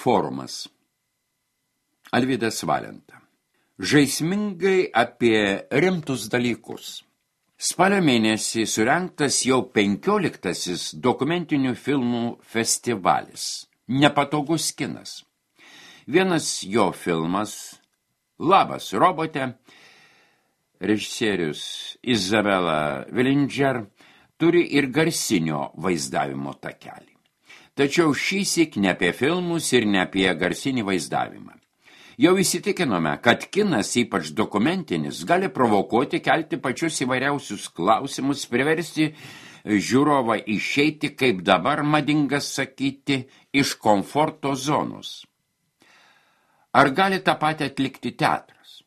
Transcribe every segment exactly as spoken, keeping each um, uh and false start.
Forumas. Alvydas Valenta. Žaismingai apie rimtus dalykus. Spalio mėnesį surengtas jau penkioliktasis dokumentinių filmų festivalis. Nepatogus kinas. Vienas jo filmas Labas, robote, režisierius Izabela Villinger turi ir garsinio vaizdavimo takelį. Tačiau šįsyk ne apie filmus ir ne apie garsinį vaizdavimą. Jau įsitikinome, kad kinas, ypač dokumentinis, gali provokuoti, kelti pačius įvairiausius klausimus, priversti žiūrovą išeiti, kaip dabar madinga sakyti, iš komforto zonos. Ar gali tą patį atlikti teatras?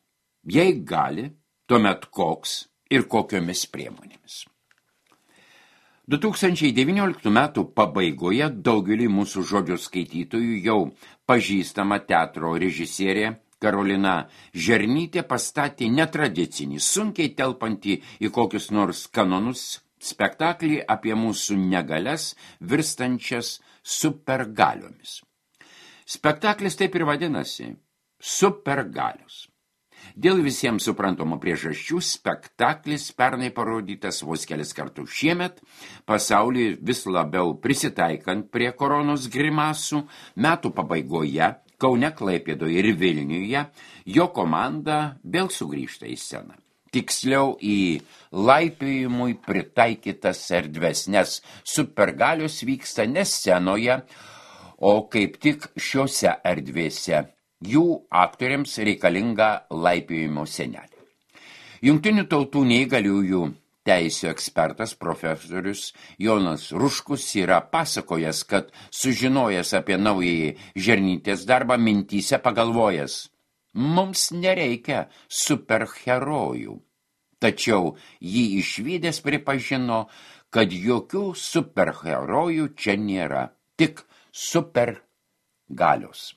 Jei gali, tuomet koks ir kokiomis priemonėmis. du tūkstančiai devynioliktų metų pabaigoje daugelį mūsų žodžio skaitytojų jau pažįstama teatro režisierė Karolina Žernytė pastatė netradicinį, sunkiai telpantį į kokius nors kanonus spektaklį apie mūsų negalias virstančias supergaliomis. Spektaklis taip ir vadinasi – Supergalios. Dėl visiems suprantamų priežasčių spektaklis pernai parodytas vos kelis kartus šiemet, pasaulyje vis labiau prisitaikant prie koronos grimasų, metų pabaigoje, Kaune, Klaipėdoje ir Vilniuje, jo komanda vėl sugrįžta į sceną. Tiksliau į laipiojimui pritaikytas erdves, nes supergalios vyksta ne scenoje, o kaip tik šiose erdvėse. Jų aktoriams reikalinga laipiojimo senelė. Jungtinių tautų neįgaliųjų teisių ekspertas profesorius Jonas Ruškus yra pasakojęs, kad sužinojęs apie naująjį Žernytės darbą mintyse pagalvojęs, mums nereikia superherojų. Tačiau jį išvydęs pripažino, kad jokių superherojų čia nėra, tik supergalios.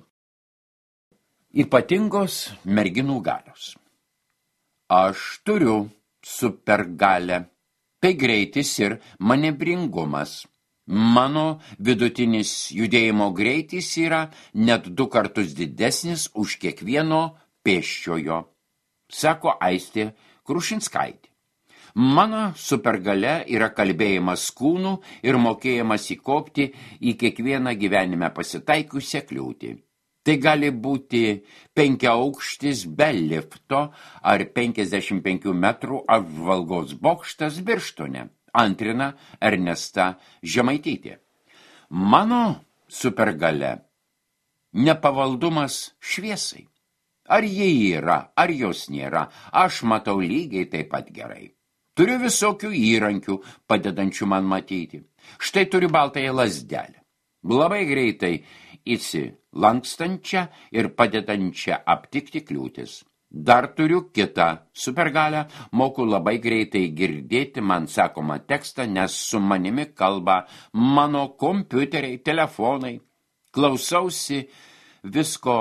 Ypatingos merginų galios. Aš turiu supergalę. Tai greitis ir manevringumas. Mano vidutinis judėjimo greitis yra net du kartus didesnis už kiekvieno pėsčiojo, sako Aistė Krušinskaitė. Mano supergalia yra kalbėjimas kūnų ir mokėjimas įkopti į kiekvieną gyvenime pasitaikusią kliūtį. Tai gali būti penkiaaukštis be lifto ar penkiasdešimt penkių metrų apžvalgos bokštas Birštone, antrina Ernesta Žemaitytė. Mano supergalia nepavaldumas šviesai. Ar jie yra, ar jos nėra, aš matau lygiai taip pat gerai. Turiu visokių įrankių, padedančių man matyti. Štai turiu baltąją lazdelę. Labai greitai įsilankstančią ir padedančią aptikti kliūtis. Dar turiu kitą supergalę, moku labai greitai girdėti man sakomą tekstą, nes su manimi kalba mano kompiuteriai, telefonai. Klausausi visko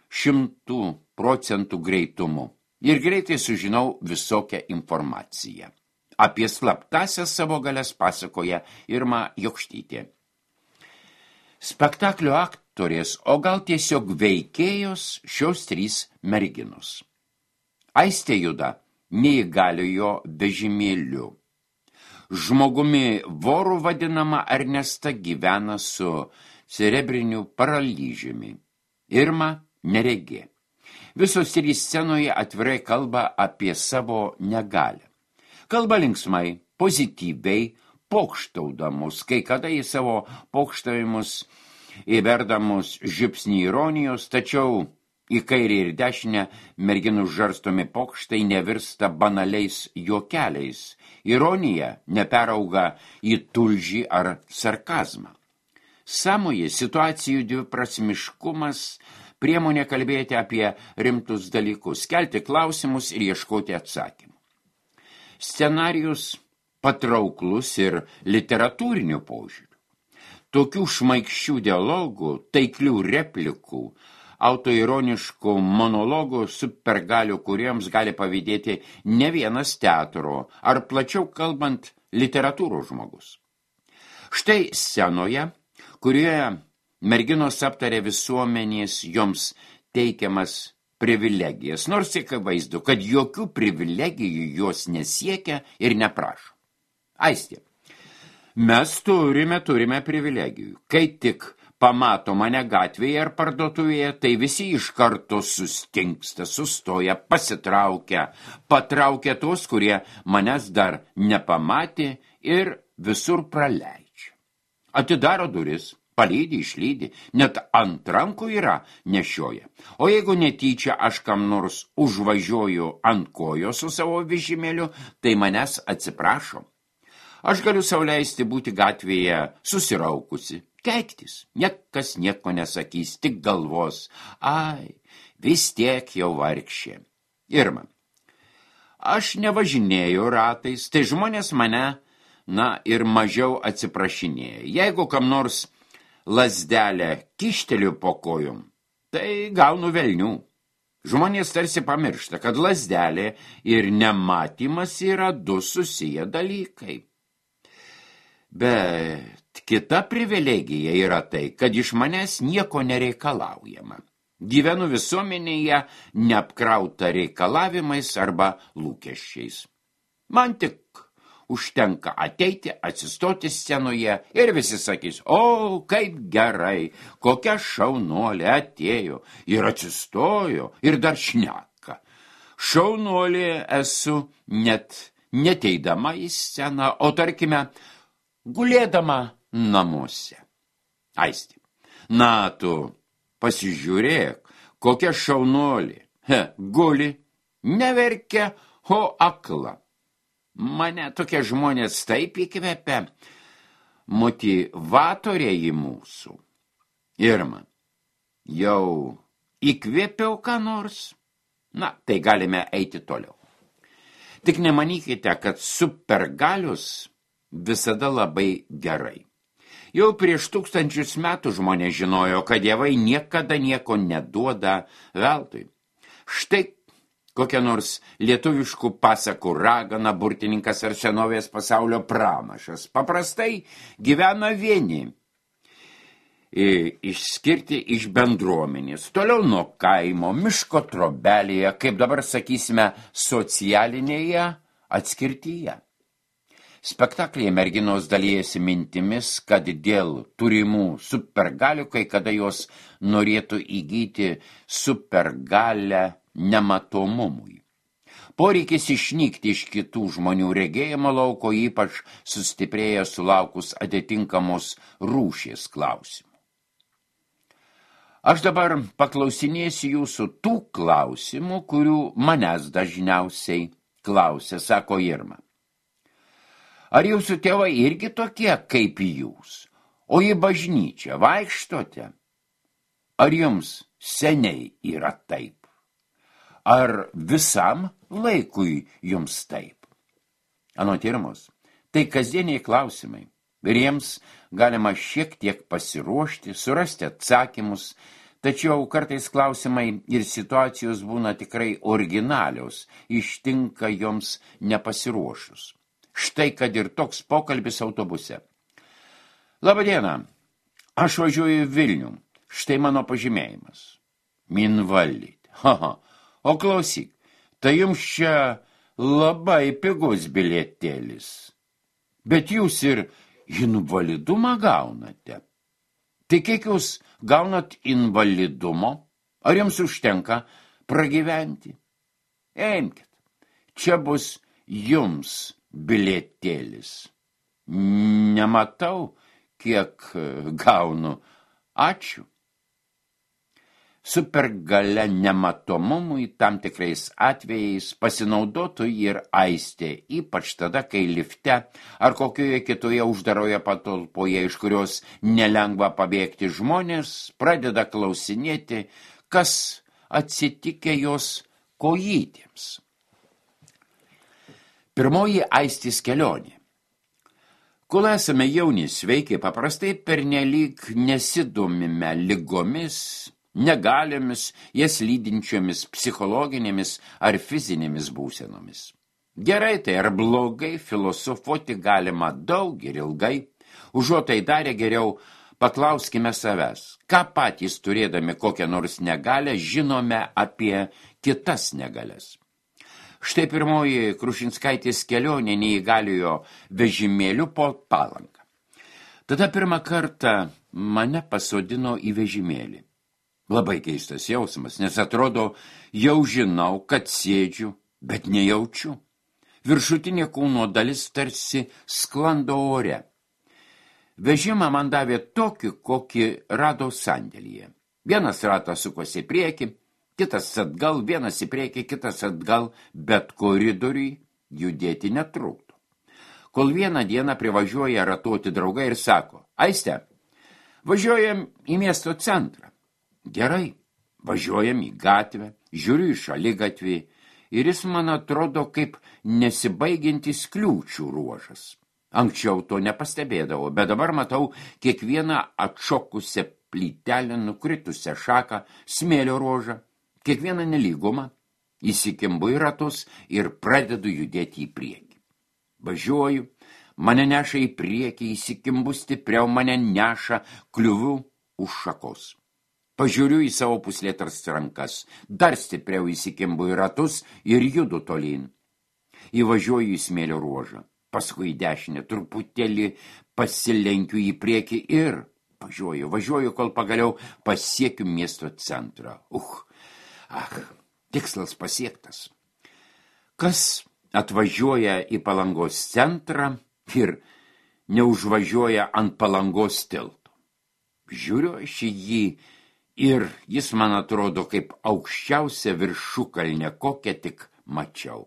šimtų procentų greitumu ir greitai sužinau visokią informaciją. Apie slaptąsias savo galias pasakoja Irma Jokštytė. Spektaklio aktorės, o gal tiesiog veikėjos šios trys merginos. Aistė juda neįgaliojo vežimėliu. Žmogumi voru vadinama Ernesta gyvena su cerebriniu paralyžiumi. Irma neregė. Visos trys scenoje atvirai kalba apie savo negalią. Kalba linksmai, pozityviai, pokštaudamus, kai kada į savo pokštavimus įverdamus žipsnį ironijos, tačiau į kairę ir dešinę merginų žarstomi pokštai nevirsta banaliais juokeliais. Ironija neperauga į tulžį ar sarkazmą. Sąmoje situacijų dviprasmiškumas priemonė kalbėti apie rimtus dalykus, kelti klausimus ir ieškoti atsakymų. Scenarijus patrauklus ir literatūrinių požiūrių. Tokių šmaikščių dialogų, taiklių replikų, autoironiškų monologų supergalių, kuriems gali pavydėti ne vienas teatro, ar plačiau kalbant literatūros žmogus. Štai scenoje, kurioje merginos aptarė visuomenės joms teikiamas privilegijas, nors akivaizdu, kad jokių privilegijų jos nesiekia ir neprašo. Aistė, mes turime, turime privilegijų. Kai tik pamato mane gatvėje ar parduotuvėje, tai visi iš karto sustinksta, sustoja, pasitraukia, patraukia tos, kurie manęs dar nepamatė ir visur praleidžia. Atidaro duris, palydi, išlydi, net ant rankų yra nešioja. O jeigu netyčia aš kam nors užvažiuoju ant kojo su savo vežimėliu, tai manęs atsiprašo. Aš galiu sau leisti būti gatvėje susiraukusi, keiktis, niekas nieko nesakys, tik galvos, ai, vis tiek jau vargšė. Irma, aš nevažinėju ratais, tai žmonės mane, na, ir mažiau atsiprašinėja. Jeigu kam nors lazdelę kišteliu po kojom, tai gaunu velnių. Žmonės tarsi pamiršta, kad lazdelė ir nematymas yra du susiję dalykai. Bet kita privilegija yra tai, kad iš manęs nieko nereikalaujama. Gyvenu visuomenėje neapkrauta reikalavimais arba lūkesčiais. Man tik užtenka ateiti, atsistoti scenoje ir visi sakys, o, kaip gerai, kokia šaunuolė atėjo ir atsistojo ir dar šneka. Šaunuolė esu net neteidama į sceną, o tarkime, gulėdama namuose. Aistė, na tu pasižiūrėk, kokia šaunuolė. He, guli, neverkia, o akla. Mane tokie žmonės taip įkvepia, motyvatoriai mūsų. Irma, jau įkvėpiau ką nors? Na, tai galime eiti toliau. Tik nemanykite, kad supergalius visada labai gerai. Jau prieš tūkstančius metų žmonės žinojo, kad dievai niekada nieko neduoda veltui. Štai kokia nors lietuviškų pasakų ragana, burtininkas ar senovės pasaulio pranašas paprastai gyvena vieni, išskirti iš bendruomenės, toliau nuo kaimo, miško trobelėje, kaip dabar sakysime, socialinėje atskirtyje. Spektaklyje merginos dalijasi mintimis, kad dėl turimų supergalių, kai kada jos norėtų įgyti supergalę nematomumui. Poreikis išnykti iš kitų žmonių regėjimo lauko ypač sustiprėja sulaukus atitinkamos rūšies klausimų. Aš dabar paklausinėsiu jūsų tų klausimų, kurių manęs dažniausiai klausia, sako Irma. Ar jūsų tėvai irgi tokie kaip jūs, o į bažnyčią vaikštote? Ar jums seniai yra taip? Ar visam laikui jums taip? Anot Irmos, tai kasdieniai klausimai. Ir jiems galima šiek tiek pasiruošti, surasti atsakymus, tačiau kartais klausimai ir situacijos būna tikrai originalios, ištinka joms nepasiruošus. Štai kad ir toks pokalbis autobuse. Labadiena, aš važiuoju į Vilnių, štai mano pažymėjimas. Invalid. Haha. O klausyk, tai jums čia labai pigus bilietėlis. Bet jūs ir invalidumą gaunate. Tai kiek jūs gaunat invalidumo? Ar jums užtenka pragyventi? Eimkit, čia bus jums bilietėlis. Nematau, kiek gaunu. Ačiū. Supergalia nematomumui tam tikrais atvejais pasinaudotų ir Aistė, ypač tada, kai lifte ar kokioje kitoje uždaroje patalpoje, iš kurios nelengva pabėgti, žmonės pradeda klausinėti, kas atsitikė jos kojytėms. Pirmoji Aistės kelionė. Kol esame jauni sveiki, paprastai pernelyg nesidomime ligomis, negaliomis, jas lydinčiomis psichologinėmis ar fizinėmis būsenomis. Gerai tai ar blogai, filosofuoti galima daug ir ilgai, užuot tai darė geriau Paklauskime savęs, ką patys turėdami kokią nors negalę žinome apie kitas negalias. Štai pirmoji Krušinskaitės kelionė neįgaliojo vežimėliu po Palangą. Tada pirmą kartą mane pasodino į vežimėlį. Labai keistas jausmas, nes atrodo, jau žinau, kad sėdžiu, bet nejaučiu. Viršutinė kūno dalis tarsi sklando ore. Vežimą man davė tokį, kokį rado sandėlyje. Vienas ratas sukosi į priekį, kitas atgal, vienas į priekį, kitas atgal, bet koridoriui judėti netrukdo. Kol vieną dieną privažiuoja ratuoti draugai ir sako, Aiste, važiuojam į miesto centrą. Gerai, važiuojam į gatvę, žiūriu į šaligatvį ir jis man atrodo kaip nesibaigiantis kliūčių ruožas. Anksčiau to nepastebėdavau, bet dabar matau kiekvieną atšokusią plytelę, nukritusią šaką, smėlio ruožą, kiekvieną nelygumą, įsikimbu į ratus ir pradedu judėti į priekį. Važiuoju, mane neša į priekį, įsikimbu stipriau, mane neša, kliuviu už šakos. Pažiūriu į savo puslėtras rankas, dar stipriau įsikimbu į ratus ir judu tolyn. Įvažiuoju į smėlio ruožą, paskui į dešinę, truputėlį pasilenkiu į priekį ir važiuoju, važiuoju, kol pagaliau pasiekiu miesto centrą. Uch, ach, tikslas pasiektas. Kas atvažiuoja į Palangos centrą ir neužvažiuoja ant Palangos tilto? Žiūriu aš į jį ir jis man atrodo kaip aukščiausia viršukalnė, kokią tik mačiau.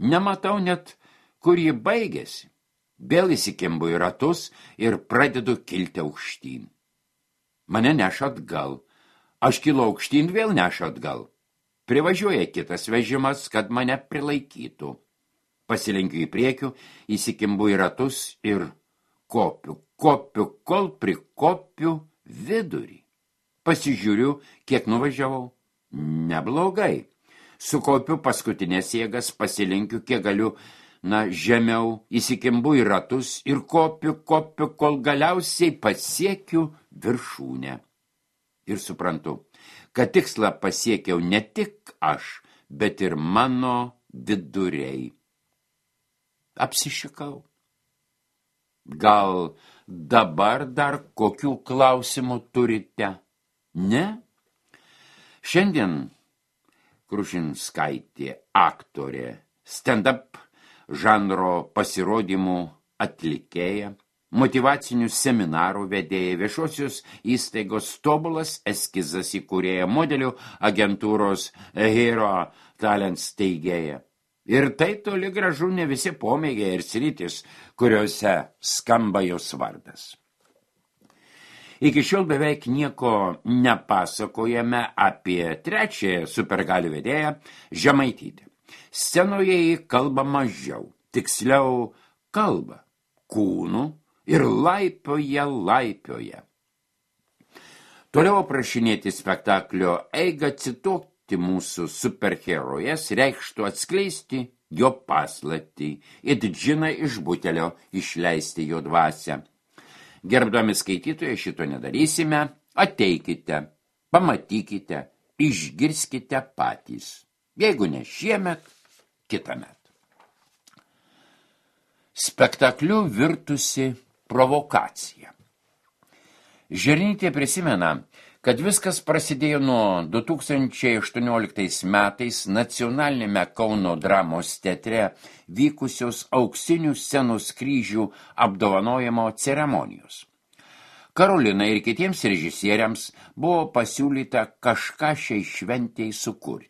Nematau net, kur ji baigėsi. Vėl įsikimbu į ratus ir pradedu kilti aukštyn. Mane neša atgal. Aš kilau aukštyn, vėl neša atgal. Privažiuoja kitas vežimas, kad mane prilaikytų. Pasilenkiu į priekį, įsikimbu į ratus ir kopiu, kopiu, kol prikopiu vidurį. Pasižiūriu, kiek nuvažiavau. Neblogai. Sukopiu paskutinės jėgas, pasilenkiu, kiek galiu, na, žemiau, įsikimbu į ratus ir kopiu, kopiu, kol galiausiai pasiekiu viršūnę. Ir suprantu, kad tikslą pasiekiau ne tik aš, bet ir mano viduriai. Apsišikau. Gal dabar dar kokių klausimų turite? Ne? Šiandien Krušinskaitė, aktorė, stand-up žanro pasirodymų atlikėja, motyvacinių seminarų vedėja, viešosios įstaigos tobulas eskizas įkūrėja, modelių agentūros Hero Talents steigėja. Ir tai toli gražu ne visi pomėgiai ir sritis, kuriuose skamba jos vardas. Iki šiol beveik nieko nepasakojame apie trečiąją supergalių vedėją Žemaitytę. Scenoje jį kalba mažiau, tiksliau kalba kūnu ir laipioja, laipioja. Toliau aprašinėti spektaklio eigą, cituoti mūsų superherojes reikštų atskleisti jo paslaptį, it džiną iš butelio išleisti jo dvasią. Gerbdami skaitytojai, šito nedarysime, ateikite, pamatykite, išgirskite patys. Jeigu ne šiemet, kitąmet. Spektakliu virtusi provokacija. Žernytė prisimena, kad viskas prasidėjo nuo du tūkstančiai aštuonioliktais metais nacionalinėme Kauno dramos teatre vykusios auksinių scenos kryžių apdovanojimo ceremonijos. Karolinai ir kitiems režisieriams buvo pasiūlyta kažką šiai šventei sukurti.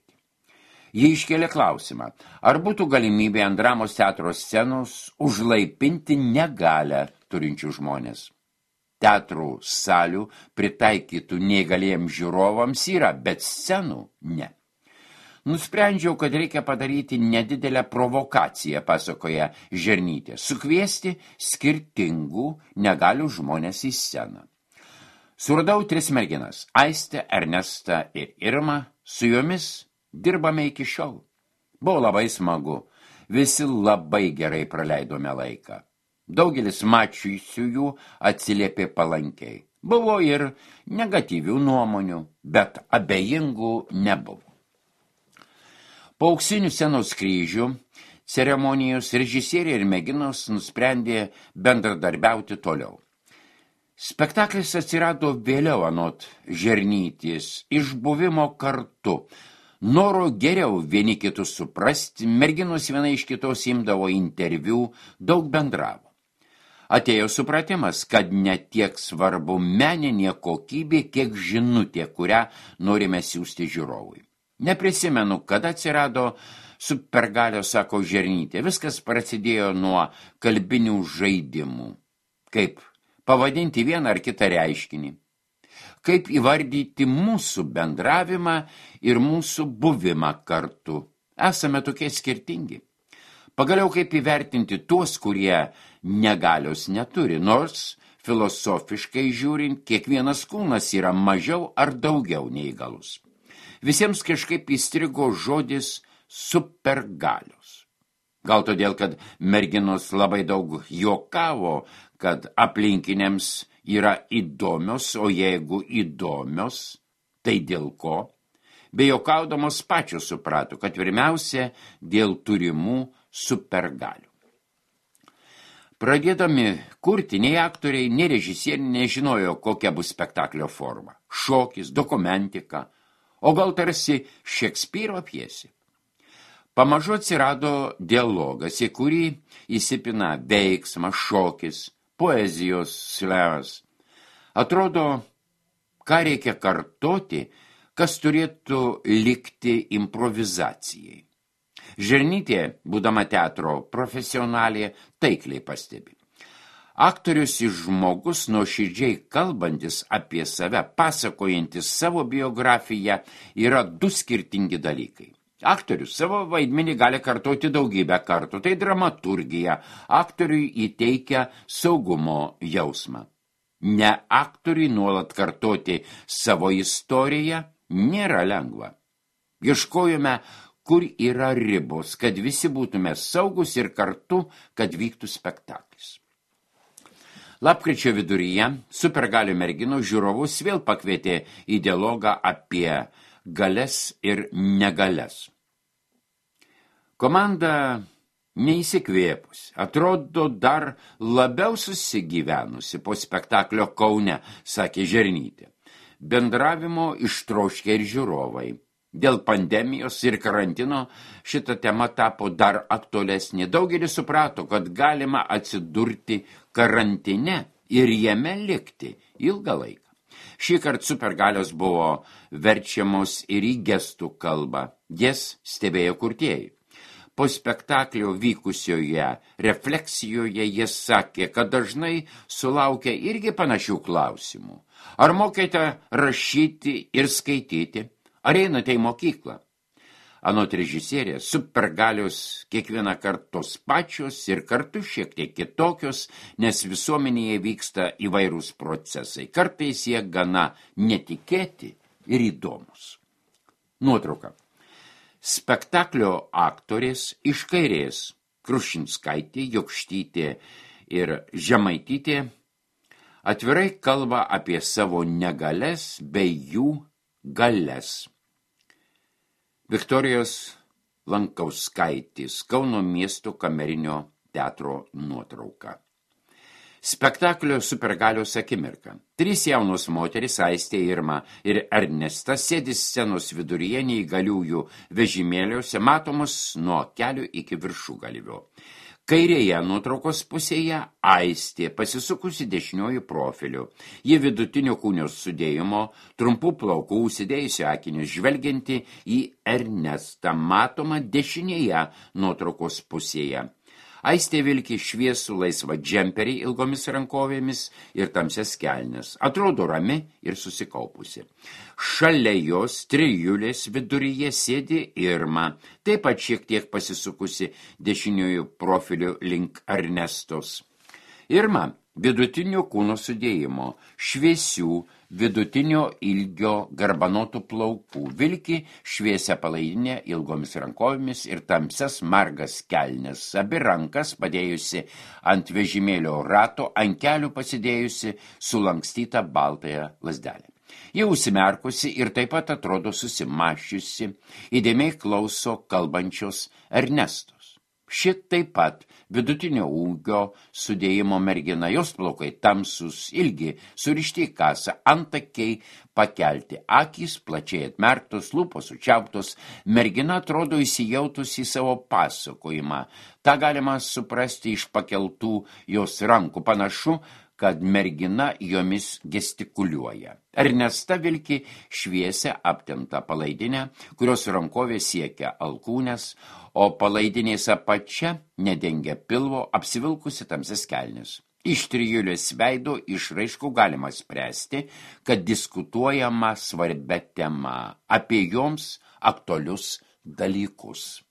Jie iškėlė klausimą, ar būtų galimybė ant dramos teatro scenos užlaipinti negalią turinčių žmonės. Teatrų salių pritaikytų neįgaliems žiūrovams yra, bet scenų ne. Nusprendžiau, kad reikia padaryti nedidelę provokaciją, pasakoja Žernytė, sukviesti skirtingų negalių žmonės į sceną. Suradau tris merginas – Aistę, Ernestą ir Irmą, su jomis dirbame iki šiol. Buvo labai smagu, visi labai gerai praleidome laiką. Daugelis mačiusiųjų atsiliepė palankiai. Buvo ir negatyvių nuomonių, bet abejingų nebuvo. Po auksinių scenos kryžių ceremonijos režisieriai ir merginos nusprendė bendradarbiauti toliau. Spektaklis atsirado vėliau anot Žernytės, iš buvimo kartu, noro geriau vieni kitus suprasti, merginos viena iš kitos imdavo interviu, daug bendravo. Atėjo supratimas, kad ne tiek svarbu meninė kokybė, kiek žinutė, kurią norime siųsti žiūrovui. Neprisimenu, kada atsirado supergalio, sako Žernytė. Viskas prasidėjo nuo kalbinių žaidimų. Kaip pavadinti vieną ar kitą reiškinį. Kaip įvardyti mūsų bendravimą ir mūsų buvimą kartu. Esame tokie skirtingi. Pagaliau kaip įvertinti tuos, kurie negalios neturi, nors filosofiškai žiūrint, kiekvienas kūnas yra mažiau ar daugiau neįgalus. Visiems kažkaip įstrigo žodis supergalios. Gal todėl, kad merginos labai daug juokavo, kad aplinkiniams yra įdomios, o jeigu įdomios, tai dėl ko? Bejuokaudamos pačios suprato, kad pirmiausia dėl turimų supergalių. Pradėdami kurti, nei aktoriai, nei režisieriai nežinojo, kokia bus spektaklio forma. Šokis, dokumentika, o gal tarsi Šekspyro pjesė. Pamažu atsirado dialogas, į kurį įsipina veiksmas, šokis, poezijos slėvas. Atrodo, ką reikia kartoti, kas turėtų likti improvizacijai. Žernytė, būdama teatro profesionalė, taikliai pastebi. Aktorius ir žmogus nuoširdžiai kalbantis apie save, pasakojantis savo biografiją, yra du skirtingi dalykai. Aktorius savo vaidmenį gali kartoti daugybę kartų, tai dramaturgija, aktoriui įteikia saugumo jausmą. Ne aktoriui nuolat kartoti savo istoriją nėra lengva. Ieškojome, kur yra ribos, kad visi būtume saugus ir kartu, kad vyktų spektaklis. Lapkričio viduryje supergalių merginų žiūrovus vėl pakvietė į dialogą apie galias ir negalias. Komanda neįsikvėpus, atrodo dar labiau susigyvenusi po spektaklio Kaune, sakė Žernytė. Bendravimo ištroškė ir žiūrovai. Dėl pandemijos ir karantino šita tema tapo dar aktualesnė. Daugelis suprato, kad galima atsidurti karantine ir jame likti ilgą laiką. Šįkart supergalios buvo verčiamos ir į gestų kalbą. Jas stebėjo kurtieji. Po spektaklio vykusioje refleksijoje jis sakė, kad dažnai sulaukia irgi panašių klausimų. Ar mokėte rašyti ir skaityti? Ar einate į mokyklą? Anot režisierės, supergalios kiekvieną kartą tos pačios ir kartu šiek tiek kitokios, nes visuomenėje vyksta įvairūs procesai. Kartais jie gana netikėti ir įdomus. Nuotrauka. Spektaklio aktorės iš kairės Krušinskaitė, Jokštytė ir Žemaitytė atvirai kalba apie savo negalias bei jų galias. Viktorijos Lankauskaitės, Kauno miesto kamerinio teatro nuotrauka. Spektaklio supergalios akimirka. Trys jaunos moteris, Aistė, Irma ir Ernesta, sėdi scenos viduryje neįgaliųjų vežimėliuose, matomos nuo kelių iki viršugalvio. Kairėje nuotraukos pusėje Aistė, pasisukusi dešiniuoju profiliu. Ji vidutinio kūnio sudėjimo, trumpų plaukų, užsidėjusi akinius, žvelgianti į Ernestą, matoma dešinėje nuotraukos pusėje. Aistė vilki šviesų laisvą džemperį ilgomis rankovėmis ir tamsias kelnes. Atrodo rami ir susikaupusi. Šalia jos trijulės viduryje sėdi Irma, taip pat šiek tiek pasisukusi dešiniųjų profilių link Ernestos. Irma vidutinio kūno sudėjimo, šviesių, vidutinio ilgio garbanotų plaukų, vilki šviesia palaidinė ilgomis rankovėmis ir tamsias margas kelnes, abi rankas padėjusi ant vežimėlio rato, ant kelių pasidėjusi sulankstytą baltąją lazdelę. Ji užsimerkusi ir taip pat atrodo susimašiusi, įdėmiai klauso kalbančios Ernestos. Ši taip pat vidutinio ūgio sudėjimo mergina, jos plaukai tamsus, ilgi, surišti į kasą, antakiai pakelti, akys plačiai atmerktos, lūpos sučiauptos, mergina atrodo įsijautus į savo pasakojimą. Ta galima suprasti iš pakeltų jos rankų, panašu, kad mergina jomis gestikuliuoja. Ernesta vilki šviesią aptemptą palaidinę, kurios rankovė siekia alkūnes, o palaidinės apačia nedengia pilvo, apsivilkusi tamsias kelnes. Iš trijulės veido išraiškų galima spręsti, kad diskutuojama svarbia tema apie joms aktualius dalykus.